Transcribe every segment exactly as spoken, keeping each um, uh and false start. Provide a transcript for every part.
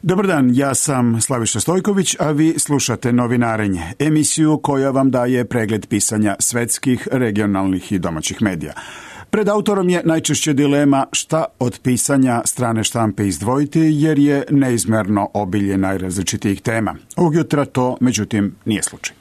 Dobar dan, ja sam Slaviša Stojković, a vi slušate Novinarenje, emisiju koja vam daje pregled pisanja svetskih, regionalnih i domaćih medija. Pred autorom je najčešće dilema šta od pisanja strane štampe izdvojiti, jer je neizmerno obilje najrazličitijih tema. Ovog jutra to, međutim, nije slučaj.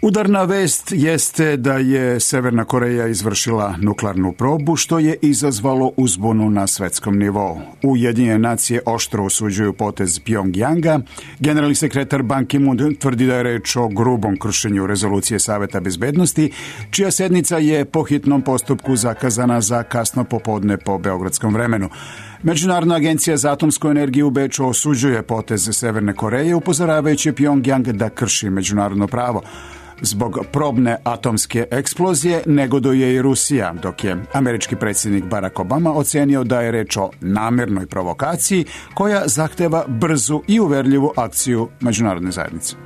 Udarna vest jeste da je Severna Koreja izvršila nuklearnu probu, što je izazvalo uzbunu na svetskom nivou. Ujedinjene nacije oštro osuđuju potez Pjongjanga. Generalni sekretar Ban Ki-moon tvrdi da je reč o grubom kršenju rezolucije Saveta bezbednosti, čija sednica je po hitnom postupku zakazana za kasno popodne po beogradskom vremenu. Međunarodna agencija za atomsku energiju u Beču osuđuje potez Severne Koreje, upozoravajući Pjongjang da krši međunarodno pravo. Zbog probne atomske eksplozije negoduje i Rusija, dok je američki predsjednik Barack Obama ocenio da je reč o namjernoj provokaciji koja zahteva brzu i uverljivu akciju međunarodne zajednice.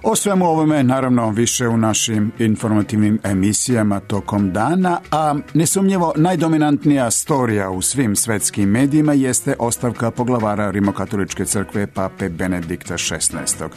O svemu ovome, naravno, više u našim informativnim emisijama tokom dana, a nesumnjivo najdominantnija storija u svim svetskim medijima jeste ostavka poglavara Rimokatoličke crkve pape Benedikta šesnaestog.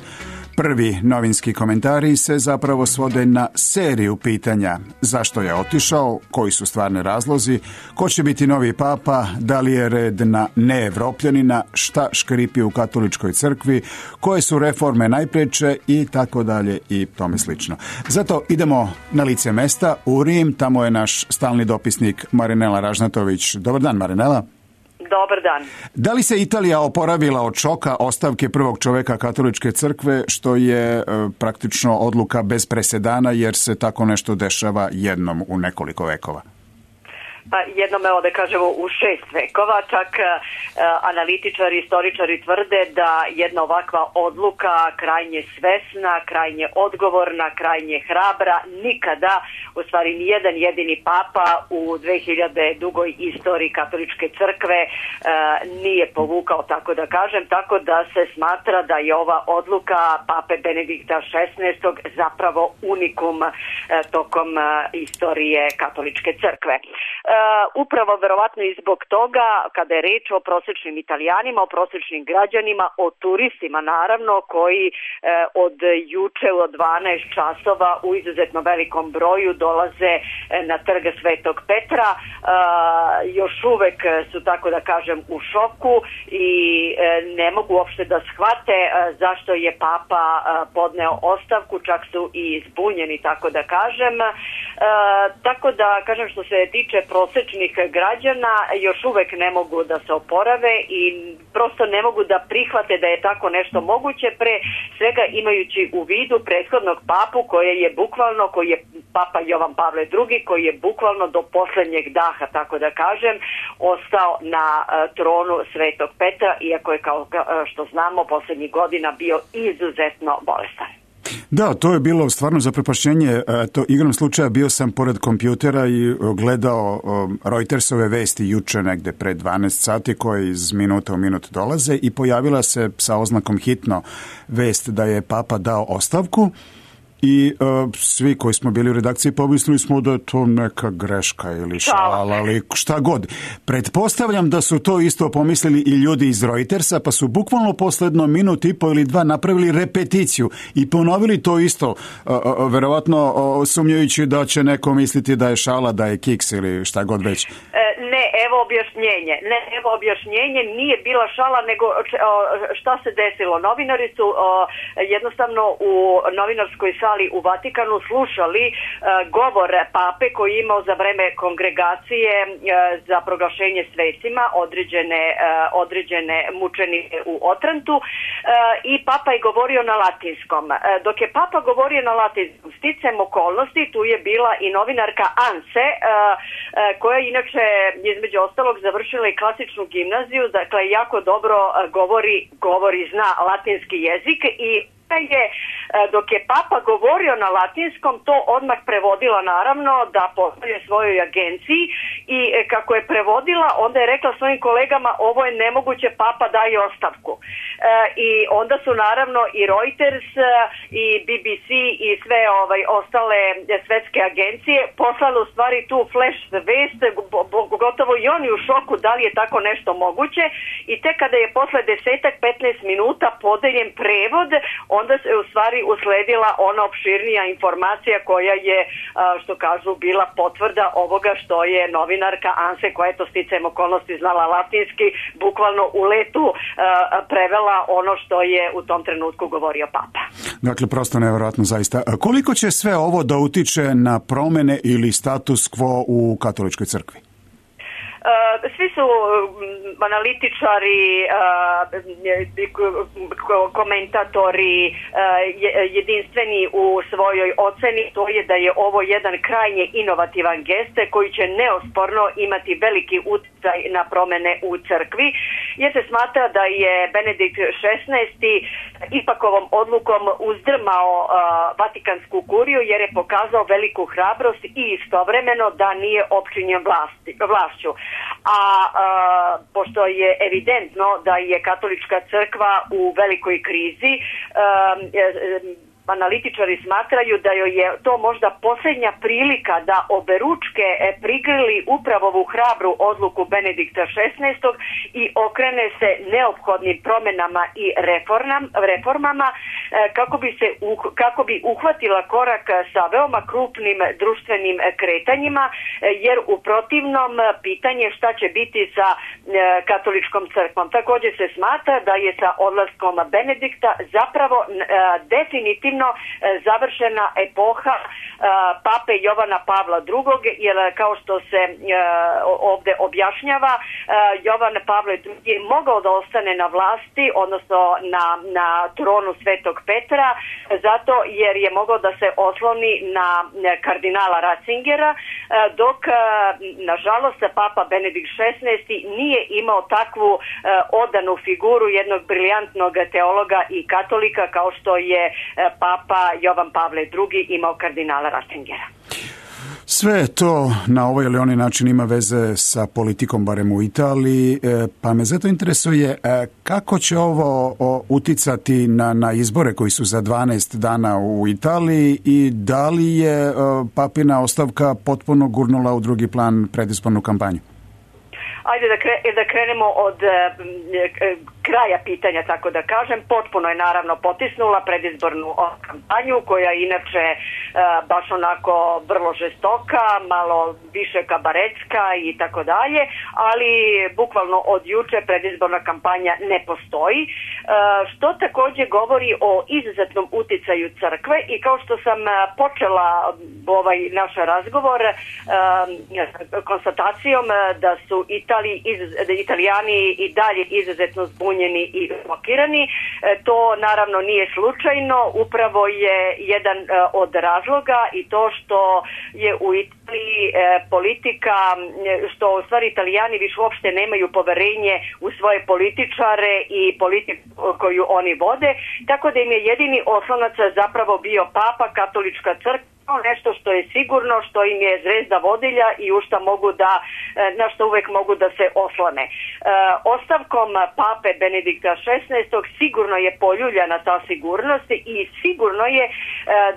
Prvi novinski komentari se zapravo svode na seriju pitanja: zašto je otišao, koji su stvarni razlozi, ko će biti novi papa, da li je red na neevropljanina, šta škripi u katoličkoj crkvi, koje su reforme najpreče i tako dalje i tome slično. Zato idemo na lice mesta u Rim, tamo je naš stalni dopisnik Marinela Ražnatović. Dobar dan, Marinela. Dobar dan. Da li se Italija oporavila od šoka ostavke prvog čoveka katoličke crkve, što je e, praktično odluka bez presedana, jer se tako nešto dešava jednom u nekoliko vekova? Pa jednom, evo da kažemo, u šest vekova, čak e, analitičari, istoričari tvrde da jedna ovakva odluka, krajnje svesna, krajnje odgovorna, krajnje hrabra, nikada, u stvari nijedan jedini papa u dve hiljade dugoj istoriji katoličke crkve e, nije povukao, tako da kažem, tako da se smatra da je ova odluka pape Benedikta šesnaestog zapravo unikum e, tokom e, istorije katoličke crkve. Uh, upravo verovatno i zbog toga, kada je reč o prosječnim Italijanima, o prosječnim građanima, o turistima naravno, koji uh, od juče od dvanaest časova u izuzetno velikom broju dolaze uh, na trg Svetog Petra, uh, još uvek su, tako da kažem, u šoku i uh, ne mogu uopšte da shvate uh, zašto je papa uh, podneo ostavku, čak su i zbunjeni, tako da kažem. Uh, tako da kažem, što se tiče prosječnih građana, još uvek ne mogu da se oporave i prosto ne mogu da prihvate da je tako nešto moguće, pre svega imajući u vidu prethodnog papu koji je bukvalno, koji je papa Jovan Pavle drugi, koji je bukvalno do posljednjeg daha, tako da kažem, ostao na tronu Svetog Petra, iako je, kao što znamo, posljednjih godina bio izuzetno bolestan. Da, to je bilo stvarno zaprepašćenje. To igrom slučaja bio sam pored kompjutera i gledao Reutersove vesti juče negde pre dvanaest sati koje iz minuta u minut dolaze i pojavila se sa oznakom hitno vest da je papa dao ostavku. I uh, svi koji smo bili u redakciji pomislili smo da je to neka greška ili šala, ali šta god. Pretpostavljam da su to isto pomislili i ljudi iz Reutersa, pa su bukvalno posledno minut i po ili dva napravili repeticiju i ponovili to isto, uh, uh, verovatno uh, sumnjajući da će neko misliti da je šala, da je kiks ili šta god već. Ne, evo objašnjenje. Ne, evo objašnjenje, nije bila šala, nego šta se desilo. Novinari su o, jednostavno u novinarskoj sali u Vatikanu slušali o, govor pape koji je imao za vreme kongregacije o, za proglašenje svecima određene, o, određene mučenike u Otrantu o, i papa je govorio na latinskom. O, dok je papa govorio na latinskom, sticem okolnosti, tu je bila i novinarka Anse, o, koja inače između ostalog završila i klasičnu gimnaziju, dakle jako dobro govori, govori zna latinski jezik i je, dok je Papa govorio na latinskom, to odmah prevodila naravno da pošalje svojoj agenciji i kako je prevodila, onda je rekla svojim kolegama ovo je nemoguće, Papa daj ostavku. I onda su naravno i Reuters i B B C i sve ovaj, ostale svetske agencije poslali u stvari tu flash vest, gotovo i oni u šoku da li je tako nešto moguće i tek kada je posle desetak petnaest minuta podeljen prevod, onda se u stvari usledila ona opširnija informacija koja je, što kažu, bila potvrda ovoga što je novinarka Anse, koja je to sticajem okolnosti znala latinski, bukvalno u letu prevela ono što je u tom trenutku govorio Papa. Dakle, prosto nevjerojatno zaista. Koliko će sve ovo da utiče na promene ili status quo u katoličkoj crkvi? Svi su analitičari, komentatori jedinstveni u svojoj oceni, to je da je ovo jedan krajnje inovativan gest koji će neosporno imati veliki utjecaj na promene u crkvi, jer se smatra da je Benedikt šesnaesti ipak ovom odlukom uzdrmao Vatikansku kuriju jer je pokazao veliku hrabrost i istovremeno da nije opčinjen vlasti, vlašću. A, a pošto je evidentno da je katolička crkva u velikoj krizi, a, a, analitičari smatraju da joj je to možda posljednja prilika da oberučke prigrli upravo ovu hrabru odluku Benedikta šesnaestog i okrene se neophodnim promenama i reformam, reformama kako bi se kako bi uhvatila korak sa veoma krupnim društvenim kretanjima, jer u protivnom pitanje šta će biti sa katoličkom crkvom. Također se smatra da je sa odlaskom Benedikta zapravo definitivno završena epoha pape Jovana Pavla drugog, jer kao što se ovdje objašnjava, Jovan Pavle drugi je mogao da ostane na vlasti, odnosno na, na tronu Svetog Petra, zato jer je mogao da se osloni na kardinala Ratzingera, dok nažalost papa Benedikt šesnaesti nije imao takvu odanu figuru jednog briljantnog teologa i katolika kao što je Papa Jovan Pavle drugi imao kardinala Ratzingera. Sve to na ovaj ili onaj način ima veze sa politikom, barem u Italiji, pa me zato interesuje kako će ovo uticati na, na izbore koji su za dvanaest dana u Italiji i da li je papina ostavka potpuno gurnula u drugi plan predizbornu kampanju? Ajde da, kre, da krenemo od e, kraja pitanja, tako da kažem. Potpuno je naravno potisnula predizbornu kampanju, koja je inače e, baš onako vrlo žestoka, malo više kabaretska i tako dalje, ali bukvalno od juče predizborna kampanja ne postoji, e, što također govori o izuzetnom uticaju crkve i kao što sam počela ovaj naš razgovor e, konstatacijom da su Italiji Italijani i dalje izuzetno zbunjeni i šokirani. To naravno nije slučajno, upravo je jedan od razloga i to što je u Italiji politika, što u stvari Italijani više uopšte nemaju poverenje u svoje političare i politiku koju oni vode, tako da im je jedini oslonac zapravo bio Papa, katolička crkva, nešto što je sigurno, što im je zvezda vodilja i u šta mogu da, na što uvek mogu da se oslone. E, ostavkom pape Benedikta šesnaestog sigurno je poljuljana ta sigurnost i sigurno je e,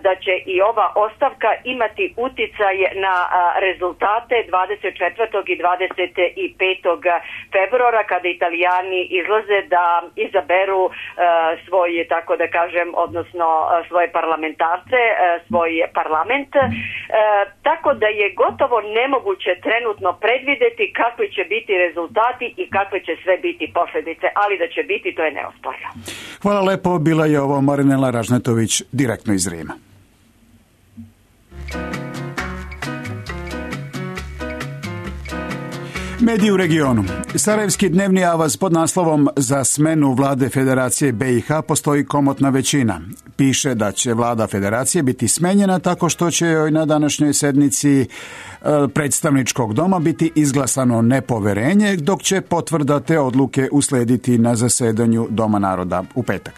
da će i ova ostavka imati uticaj na a, rezultate dvadeset četvrtog i dvadeset petog februara, kada Italijani izlaze da izaberu a, svoj, tako da kažem, odnosno a, svoje parlamentarce, a, svoj parlament. Parlament, e, tako da je gotovo nemoguće trenutno predvideti kakvi će biti rezultati i kakve će sve biti posljedice, ali da će biti, to je neosporno. Hvala lepo, bila je ovo Marinela Ražnetović direktno iz Rima. Mediji u regionu. Sarajevski dnevni avaz pod naslovom "Za smenu vlade Federacije B i H postoji komotna većina" piše da će vlada Federacije biti smenjena tako što će joj na današnjoj sednici predstavničkog doma biti izglasano nepoverenje, dok će potvrda te odluke uslediti na zasedanju Doma naroda u petak.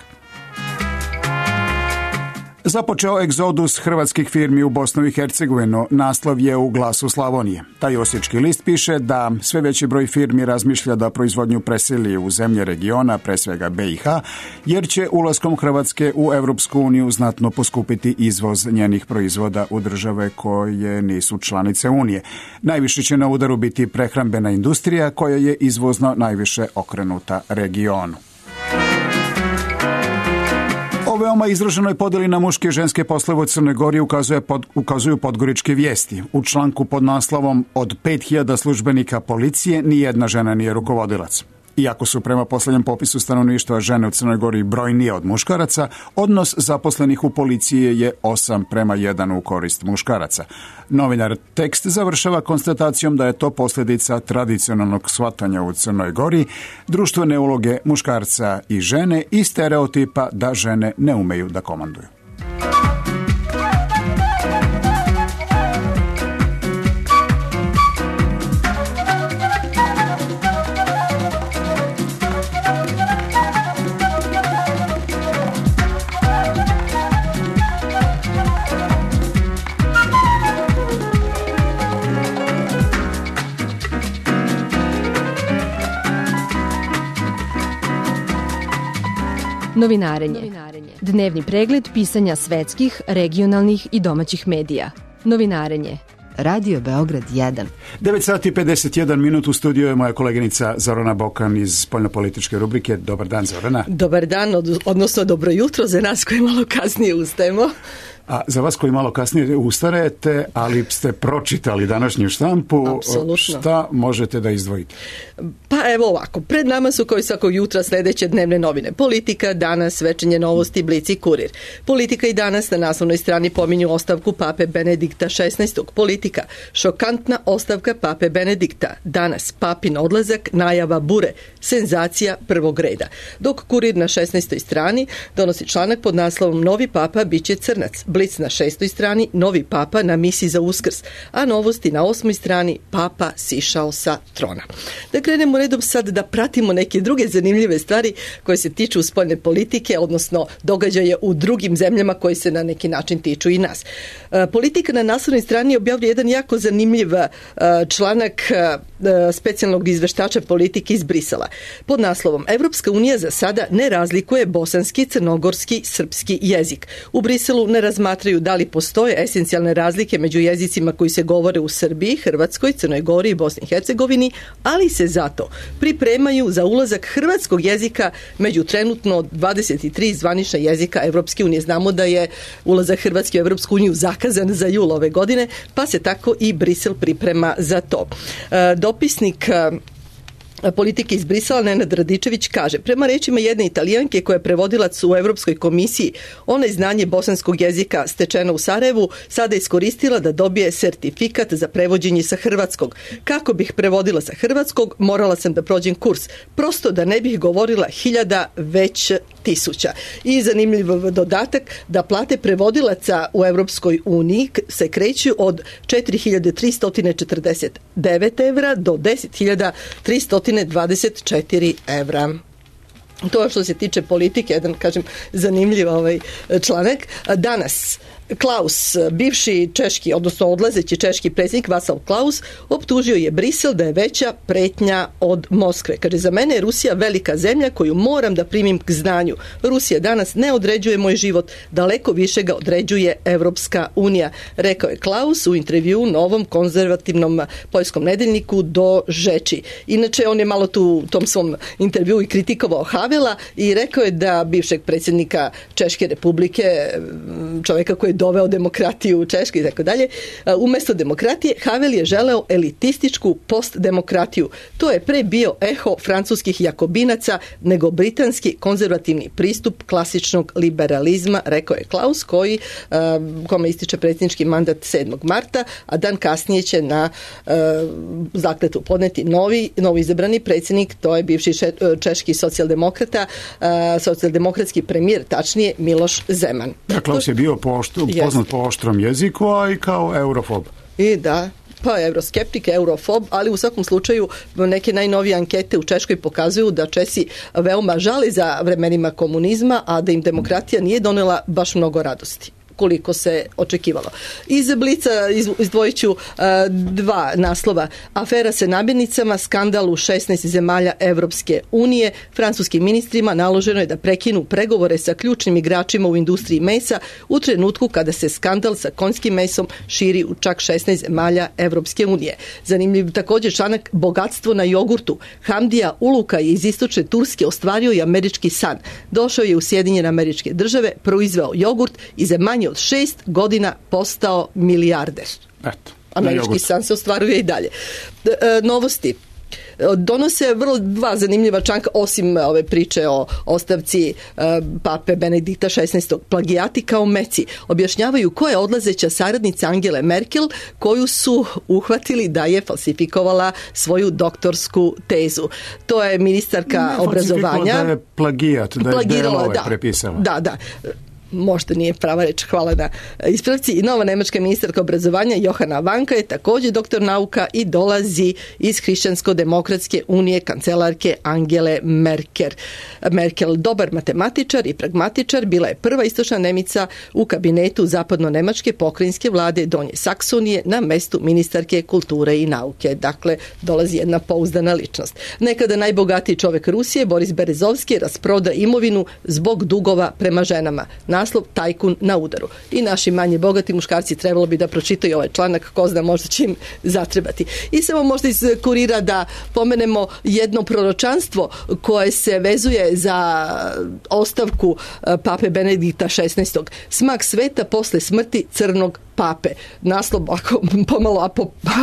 Započeo egzodus hrvatskih firmi u Bosnu i Hercegovinu, naslov je u Glasu Slavonije. Taj osječki list piše da sve veći broj firmi razmišlja da proizvodnju preseli u zemlje regiona, pre svega be i ha, jer će ulaskom Hrvatske u Europsku uniju znatno poskupiti izvoz njenih proizvoda u države koje nisu članice Unije. Najviše će na udaru biti prehrambena industrija koja je izvozno najviše okrenuta regionu. O veoma izraženoj podeli na muške i ženske poslove u Crnoj Gori ukazuje pod, ukazuju podgoričke vijesti. U članku pod naslovom od pet hiljada službenika policije nijedna žena nije rukovodilac. Iako su prema posljednjem popisu stanovništva žene u Crnoj Gori brojnije od muškaraca, odnos zaposlenih u policiji je osam prema jedan u korist muškaraca. Novinar tekst završava konstatacijom da je to posljedica tradicionalnog shvatanja u Crnoj Gori, društvene uloge muškarca i žene i stereotipa da žene ne umeju da komanduju. Novinarenje. Dnevni pregled pisanja svetskih, regionalnih i domaćih medija. Novinarenje. Radio Beograd jedan. devet sati i pedeset jedan minut, u studiju je moja koleginica Zorana Bokan iz spoljnopolitičke rubrike. Dobar dan, Zorana. Dobar dan, odnosno dobro jutro za nas koji malo kasnije ustajemo. A za vas koji malo kasnije ustarete, ali ste pročitali današnju štampu, apsolutno. Šta možete da izdvojite? Pa evo ovako, pred nama su kao i svakog jutra sljedeće dnevne novine. Politika, Danas, Večernje novosti, Blic i Kurir. Politika i Danas na naslovnoj strani pominju ostavku pape Benedikta šesnaestog. Politika, šokantna ostavka pape Benedikta. Danas, papin odlazak, najava bure, senzacija prvog reda. Dok Kurir na šesnaestoj strani donosi članak pod naslovom Novi papa biće crnac. Blic na šestoj strani, novi papa na misi za Uskrs, a novosti na osmoj strani, papa sišao sa trona. Da krenemo redom sad da pratimo neke druge zanimljive stvari koje se tiču spoljne politike, odnosno događaje u drugim zemljama koje se na neki način tiču i nas. Politika na naslovnoj strani objavljuje jedan jako zanimljiv članak specijalnog izveštača politike iz Brisela. Pod naslovom Evropska unija za sada ne razlikuje bosanski, crnogorski, srpski jezik. U Briselu ne razmatraju da li postoje esencijalne razlike među jezicima koji se govore u Srbiji, Hrvatskoj, Crnoj Gori i Bosni i Hercegovini, ali se zato pripremaju za ulazak hrvatskog jezika među trenutno dvadeset tri zvanična jezika Evropske unije. Znamo da je ulazak Hrvatske u Evropsku uniju zakazan za jul ove godine, pa se tako i Brisel priprema za to. Dopisnik politike iz Brisela Nenad Radičević kaže, prema rečima jedne Italijanke koja je prevodilac u Europskoj komisiji, ona je znanje bosanskog jezika stečeno u Sarajevu sada iskoristila da dobije sertifikat za prevođenje sa hrvatskog. Kako bih prevodila sa hrvatskog, morala sam da prođem kurs, prosto da ne bih govorila hiljada, već tisuća. I zanimljiv dodatak da plate prevodilaca u Europskoj uniji se kreću od četiri hiljade tristo četrdeset devet evra do deset hiljada tristo dvadeset četiri evra. To je što se tiče politike, jedan, kažem, zanimljiv ovaj članak. Danas Klaus, bivši češki, odnosno odlazeći češki predsjednik Václav Klaus, optužio je Brisel da je veća pretnja od Moskve. Kaže, za mene je Rusija velika zemlja koju moram da primim k znanju. Rusija danas ne određuje moj život, daleko više ga određuje Evropska unija, rekao je Klaus u intervju novom konzervativnom poljskom nedeljniku Do Žeči. Inače, on je malo tu u tom svom intervju i kritikovao Havela i rekao je da bivšeg predsjednika Češke republike, čovjeka koji je doveo demokratiju u Češkoj i tako dalje, umjesto demokratije Havel je želeo elitističku postdemokratiju. To je pre bio eho francuskih jakobinaca nego britanski konzervativni pristup klasičnog liberalizma, rekao je Klaus, koji kome ističe predsjednički mandat sedmog marta, a dan kasnije će na zakletvu podneti novi, novi izabrani predsjednik, to je bivši češki socijaldemokrata, socijaldemokratski premijer, tačnije Miloš Zeman. Da, Klaus je bio pošto, poznat po oštrom jeziku, a i kao eurofob. I da, pa euroskeptik, eurofob, ali u svakom slučaju neke najnovije ankete u Češkoj pokazuju da Česi veoma žali za vremenima komunizma, a da im demokratija nije donela baš mnogo radosti. koliko se očekivalo. Iz Blica izdvojit ću dva naslova. Afera sa namirnicama, skandal u šesnaest zemalja Evropske unije. Francuskim ministrima naloženo je da prekinu pregovore sa ključnim igračima u industriji mesa u trenutku kada se skandal sa konjskim mesom širi u čak šesnaest zemalja Evropske unije. Zanimljiv također članak bogatstvo na jogurtu. Hamdija Uluka iz istočne Turske ostvario i američki san. Došao je u Sjedinjene Američke Države, proizveo jogurt i za manje od šest godina postao milijarder. Eto, američki san se ostvaruje i dalje. E, novosti. Donose vrlo dva zanimljiva članka, osim ove priče o ostavci uh, pape Benedikta šesnaestog. Plagijati kao meci. Objašnjavaju ko je odlazeća saradnica Angele Merkel, koju su uhvatili da je falsifikovala svoju doktorsku tezu. To je ministarka ne, obrazovanja. Da je plagijat, da je delove da, prepisala. Da, da. Možda nije prava reč, hvala na ispravci. I nova nemačka ministarka obrazovanja Johana Vanka je također doktor nauka i dolazi iz Hrišćansko-demokratske unije kancelarke Angele Merkel. Merkel, dobar matematičar i pragmatičar, bila je prva istočna Nemica u kabinetu zapadno-nemačke pokrajinske vlade Donje Saksonije na mestu ministarke kulture i nauke. Dakle, dolazi jedna pouzdana ličnost. Nekada najbogatiji čovjek Rusije, Boris Berezovski, rasproda imovinu zbog dugova prema ženama. Naslov tajkun na udaru. I naši manje bogati muškarci trebalo bi da pročitaju ovaj članak, ko zna možda će im zatrebati. I samo možda iz Kurira da pomenemo jedno proročanstvo koje se vezuje za ostavku pape Benedikta šesnaestog. Smak sveta posle smrti crnog pape. Naslov ako, pomalo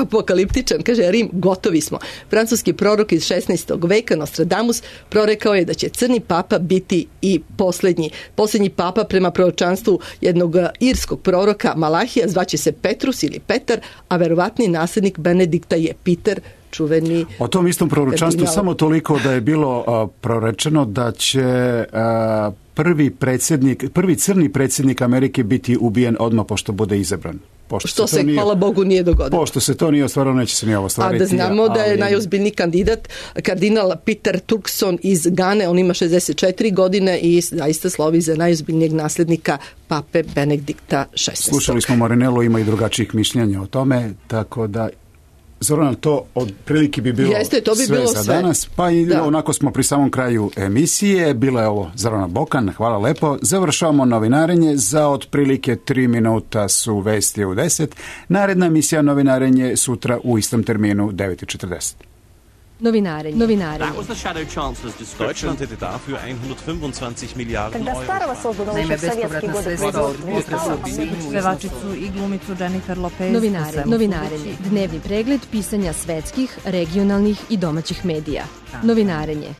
apokaliptičan, kaže Rim, gotovi smo. Francuski prorok iz šesnaestog veka Nostradamus prorekao je da će crni papa biti i posljednji. Posljednji papa prema proročanstvu jednog irskog proroka Malahija zvaće se Petrus ili Petar, a verovatni nasljednik Benedikta je Peter, čuveni. O tom istom proročanstvu kardinal. Samo toliko da je bilo uh, prorečeno da će uh, prvi predsjednik, prvi crni predsjednik Amerike biti ubijen odmah pošto bude izabran. Pošto što se, se nije, hvala Bogu, nije dogodilo. Pošto se to nije ostvarilo, neće se ni ovo ostvariti. A da znamo ali... da je najozbiljniji kandidat kardinal Peter Turkson iz Gane, on ima šezdeset četiri godine i zaista slovi za najozbiljnijeg nasljednika pape Benedikta šesnaestog. Slušali smo Marinelu, ima i drugačijih mišljenja o tome, tako da Zorana, to otprilike bi bilo, Jeste, to bi sve bilo za sve. danas, pa i da. Onako smo pri samom kraju emisije. Bila je ovo Zorana Bokan, hvala lepo. Završavamo novinarenje, za otprilike tri minuta su vesti u deset. Naredna emisija novinarenje sutra u istom terminu devet i četrdeset. Novinarenje. Novinarenje. Deutschland hätte dafür hundertfünfundzwanzig Miliarden Euro. Naime, bespovratna sredstva od potresa u pevačicu i glumicu Jennifer Lopez. Novinarenje. Novinarenje. Dnevni pregled pisanja svetskih, regionalnih i domaćih medija. Novinarenje.